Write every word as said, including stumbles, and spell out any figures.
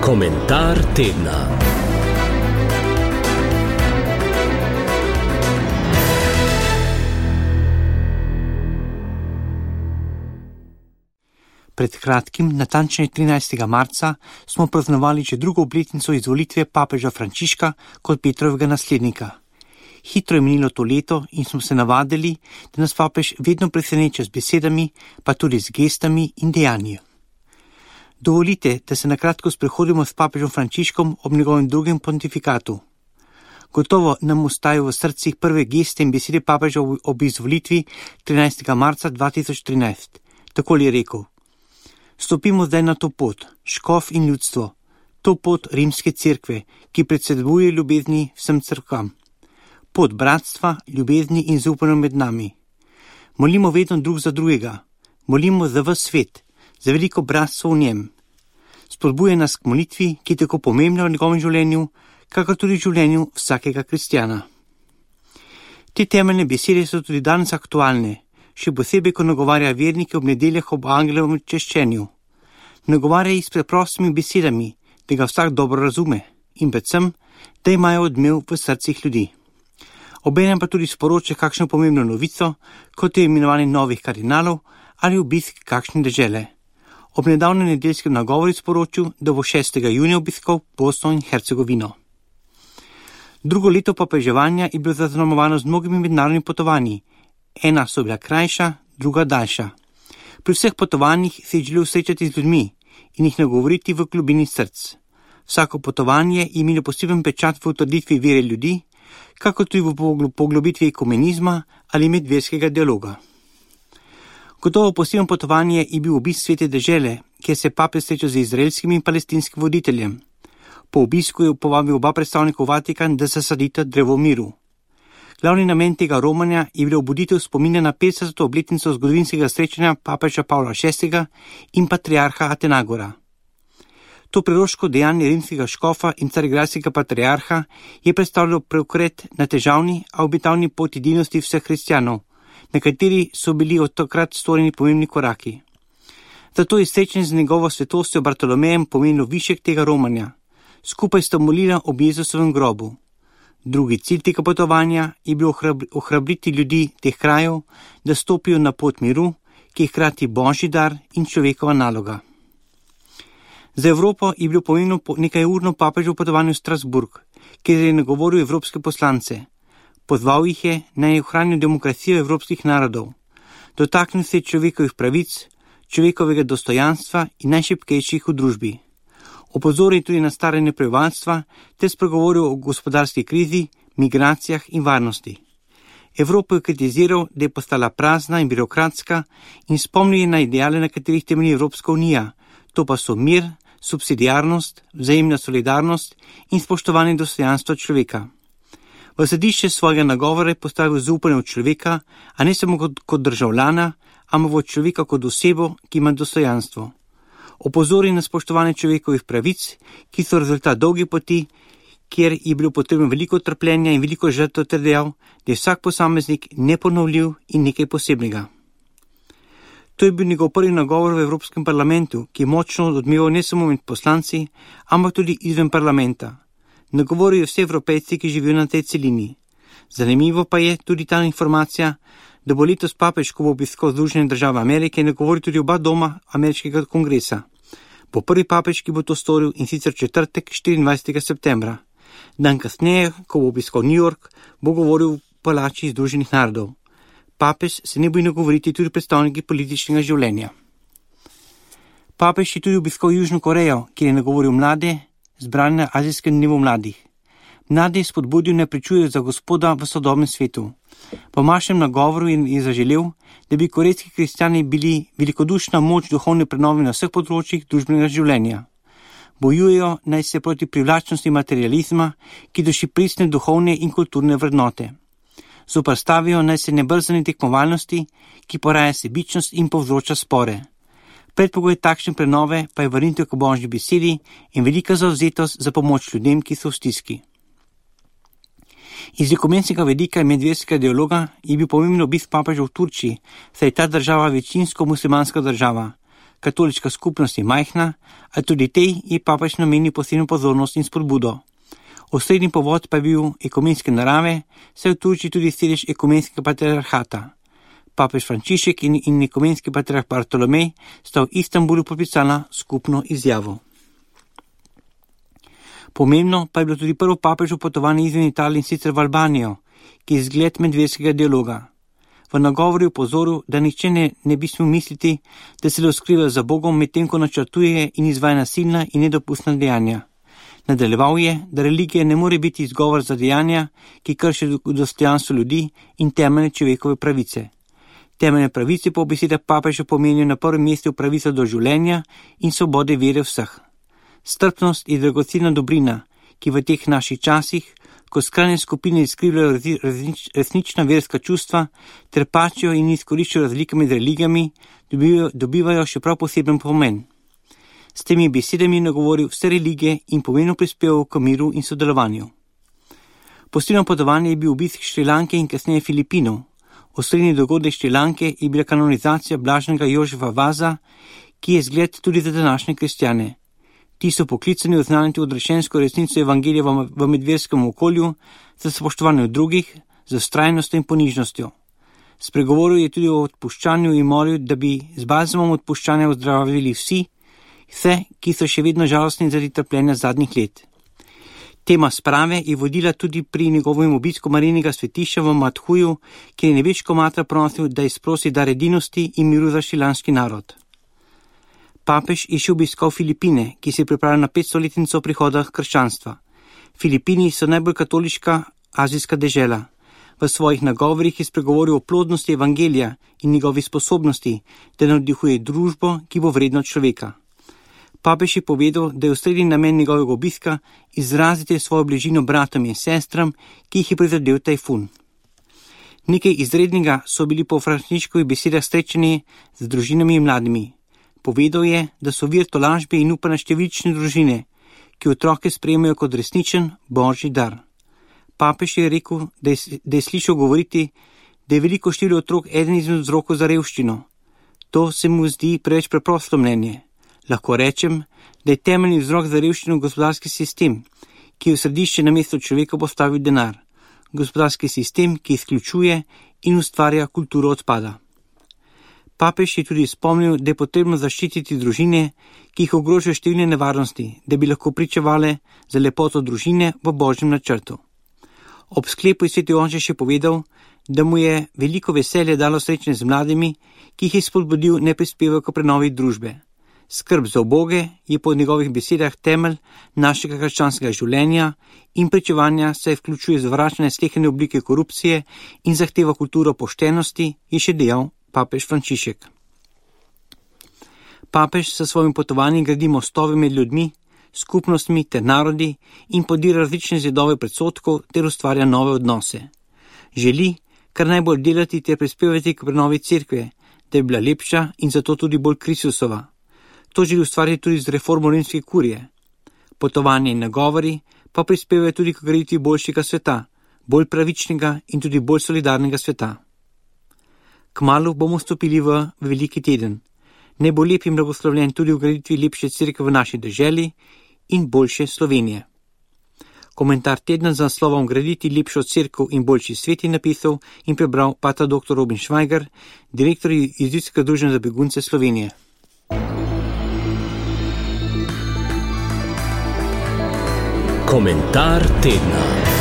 Komentar tedna. Pred kratkim, natančneje trinajstega marca, smo praznovali že drugo obletnico izvolitve papeža Frančiška kot Petrovega naslednika. Hitro je minilo to leto in smo se navadili, da nas papež vedno preseneča z besedami, pa tudi z gestami in dejanji. Dovolite, da se nakratko sprehodimo s papežom Frančiškom ob njegovem drugem pontifikatu. Gotovo nam ostajajo v srcih prve geste in besede papeža ob izvolitvi trinajstega marca dva tisoč trinajst. Takole je rekel: Stopimo zdaj na to pot, škof in ljudstvo, to pot rimske cerkve, ki predseduje ljubezni vsem cerkvam. Pot bratstva, ljubezni in zaupanja med nami. Molimo vedno drug za drugega, molimo za ves svet, za veliko bratstvo v njem. Spodbuje nas k molitvi, ki je tako pomembna v njegovem življenju, kakor tudi v življenju vsakega kristjana. Te temeljne besede so tudi danes aktualne, še posebej, ko nagovarja vernike ob nedeljah ob angelovem češčenju. Nagovarja jih s preprostimi besedami, da ga vsak dobro razume in predvsem, da imajo odmev v srcih ljudi. Obenem pa tudi sporoča kakšno pomembno novico, kot je imenovanje novih kardinalov ali obisk kakšne dežele. Ob nedavnem nedeljskem nagovoru sporočil, da bo šestega junija obiskal Bosno in Hercegovino. Drugo leto papeževanja je bilo zaznamovano z mnogimi mednarodnimi potovanji. Ena so bila krajša, druga daljša. Pri vseh potovanjih se je želel srečati z ljudmi in jih nagovoriti v globini src. Vsako potovanje je imelo poseben pečat v utrditvi vere ljudi, kako tudi v poglobitvi ekumenizma ali medverskega dialoga. Gotovo posebno potovanje je bil obisk svete dežele, kjer se papež srečal z izraelskim in palestinskim voditeljem. Po obisku je povabil oba predstavnika v Vatikan, da zasadita drevo miru. Glavni namen tega romanja je bilo obuditev spomina na petdeseto obletnico zgodovinskega srečanja papeža Pavla šestega in patriarha Atenagora. To preroško dejanje rimskega škofa in carigradskega patriarha je predstavljalo preokret na težavni, a obetavni poti edinosti vseh kristjanov, na kateri so bili od takrat storjeni pomembni koraki. Zato je srečanje z njegovo svetostjo Bartolomejem pomenilo višek tega romanja. Skupaj sta molila ob Jezusovem grobu. Drugi cilj tega potovanja je bil ohrabriti ljudi teh krajev, da stopijo na pot miru, ki je hkrati božji dar in človekova naloga. Za Evropo je bilo pomembno nekaj urno papeževo potovanje v Strasburg, kjer je nagovoril evropske poslance. Pozval jih je, naj ohranijo demokracijo evropskih narodov. Dotaknil se je človekovih pravic, človekovega dostojanstva in najšibkejših v družbi. Opozoril tudi na staranje prebivalstva ter spregovoril o gospodarski krizi, migracijah in varnosti. Evropo je kritiziral, da je postala prazna in birokratska in spomnil je na ideale, na katerih temelji Evropska unija. To pa so mir, subsidiarnost, vzajemna solidarnost in spoštovanje dostojanstva človeka. V središče svojega nagovora je postavil zaupanje v človeka, a ne samo kot, kot državljana, ampak v človeka kot osebo, ki ima dostojanstvo. Opozori na spoštovanje človekovih pravic, ki so rezultat dolge poti, kjer je bilo potrebno veliko trpljenja in veliko žrtev, ter dejal, da je vsak posameznik neponovljiv in nekaj posebnega. To je bil njegov prvi nagovor v Evropskem parlamentu, ki je močno odmeval ne samo med poslanci, ampak tudi izven parlamenta. Nagovorijo vse Evropejci, ki živijo na tej celini. Zanimivo pa je tudi ta informacija, da bo letos papež, ko bo obiskal Združene države Amerike, nagovoril tudi oba doma ameriškega kongresa. Bo prvi papež, ki bo to storil, in sicer četrtek štiriindvajsetega septembra. Dan kasneje, ko bo obiskal New York, bo govoril v palači Združenih narodov. Papež se ne boji nagovoriti tudi predstavniki političnega življenja. Papež je tudi obiskal Južno Korejo, kjer je nagovoril mlade, zbrane na azijskem dnevu mladih. Mlade je spodbudil, ne pričujejo za Gospoda v sodobnem svetu. Po mašem nagovoru je zaželel, da bi korejski kristjani bili velikodušna moč duhovne prenove na vseh področjih družbenega življenja. Bojujejo naj se proti privlačnosti materializma, ki duši pristne duhovne in kulturne vrednote. Zoprstavijo naj se nebrzani tekmovalnosti, ki poraja sebičnost in povzroča spore. Predpogoj takšne prenove pa je vrnitev k božji besedi in velika zavzetost za pomoč ljudem, ki so v stiski. Iz ekumenskega vidika in medverskega dialoga je bil pomemben obisk papeža v Turčiji, saj je ta država večinsko muslimanska država. katoliška skupnost je majhna, a tudi tej je papež namenil posebno pozornost in spodbudo. Osrednji povod pa je bil ekumenske narave, saj v Turčiji tudi sedež ekumenskega patriarhata. Papež Frančišek in, in ekumenski patriarh Bartolomej sta v Istanbulu podpisala skupno izjavo. Pomembno pa je bilo tudi prvo papežo potovanje izven Italije in sicer v Albanijo, ki je zgled medverskega dialoga. V nagovoru je opozoril, da nihče ne, ne bi smel misliti, da se le skriva za Bogom, medtem ko načrtuje in izvaja nasilna in nedopustna dejanja. Nadaljeval je, da religija ne more biti izgovor za dejanja, ki kršijo dostojanstvo ljudi in temeljne človekove pravice. Temeljne pravice po besedah papeža pomenijo na prvem mestu pravico do življenja in svobode vere vseh. Strpnost je dragocena dobrina, ki v teh naših časih, ko skrajne skupine izkrivljajo resnična verska čustva ter pačijo in izkoriščajo razlike med religijami, dobivajo, dobivajo še prav poseben pomen. S temi besedami je nagovoril vse religije in pomembno prispeval k miru in sodelovanju. Posebno potovanje je bil obisk Šrilanke in kasneje Filipinov. Osrednji dogodek Šrilanke je bila kanonizacija blaženega Jožefa Vaza, ki je zgled tudi za današnje kristjane. Ti so poklicani oznaniti odrešensko resnico evangelija v medverskem okolju, za spoštovanje drugih, za vztrajnostjo in ponižnostjo. Spregovoril je tudi o odpuščanju in molil, da bi z balzamom odpuščanja ozdravili vsi, vse, ki so še vedno žalostni zaradi trpljenja zadnjih let. Tema sprave je vodila tudi pri njegovem obisku Marijinega svetišča v Madhuju, kjer je nebeško matra prosil, da izprosi dar edinosti in miru za šrilanski narod. Papež je še obiskal Filipine, ki se pripravlja na petstoletnico prihoda krščanstva. Filipini so najbolj katoliška azijska dežela. V svojih nagovorih je spregovoril o plodnosti evangelija in njegovi sposobnosti, da navdihuje družbo, ki bo vredna človeka. Papež je povedal, da je osrednji namen njegovega obiska izraziti svojo bližino bratom in sestram, ki jih je prizadel tajfun. Nekaj izrednega so bili po Frančiškovih besedah srečani z družinami in mladimi. Povedal je, da so vir tolažbe in upanja številčne družine, ki otroke sprejemajo kot resničen božji dar. Papež je rekel, da je, da je slišal govoriti, da je veliko število otrok eden izmed vzrokov za revščino. To se mu zdi preveč preprosto mnenje. Lahko rečem, da je temeljni vzrok za revščino gospodarski sistem, ki je v središče namesto človeka postavil denar. Gospodarski sistem, ki izključuje in ustvarja kulturo odpada. Papež je tudi spomnil, da je potrebno zaščititi družine, ki jih ogrožajo številne nevarnosti, da bi lahko pričevale za lepoto družine v božjem načrtu. Ob sklepu je sveti Jože še povedal, da mu je veliko veselje dalo srečanje z mladimi, ki jih je spodbudil ne prispevajo k prenovi družbe. Skrb za uboge je po njegovih besedah temelj našega krščanskega življenja in pričevanja se vključuje zvračanje sleherne oblike korupcije in zahteva kulturo poštenosti, je še dejal papež Frančišek. Papež sa svojim potovanjem gradi mostove med ljudmi, skupnostmi ter narodi in podira različne zidove predsodkov ter ustvarja nove odnose. Želi, kar najbolj delati ter prispevati k prenovi cerkve, da bi bila lepša in zato tudi bolj Kristusova. To želi ustvariti tudi z reformo rimske kurije. Potovanje in nagovori pa prispevajo tudi k graditvi boljšega sveta, bolj pravičnega in tudi bolj solidarnega sveta. Kmalu bomo stopili v veliki teden. Ne bo lep in blagoslovljen tudi v graditvi lepše cerkve v naši deželi in boljše Slovenije. Komentar tedna z naslovom Graditi lepšo cerkev in boljši svet je napisal in prebral pater doktor Robin Švajger, direktor Jezuitskega druženja za begunce Slovenije. Komentar tedna.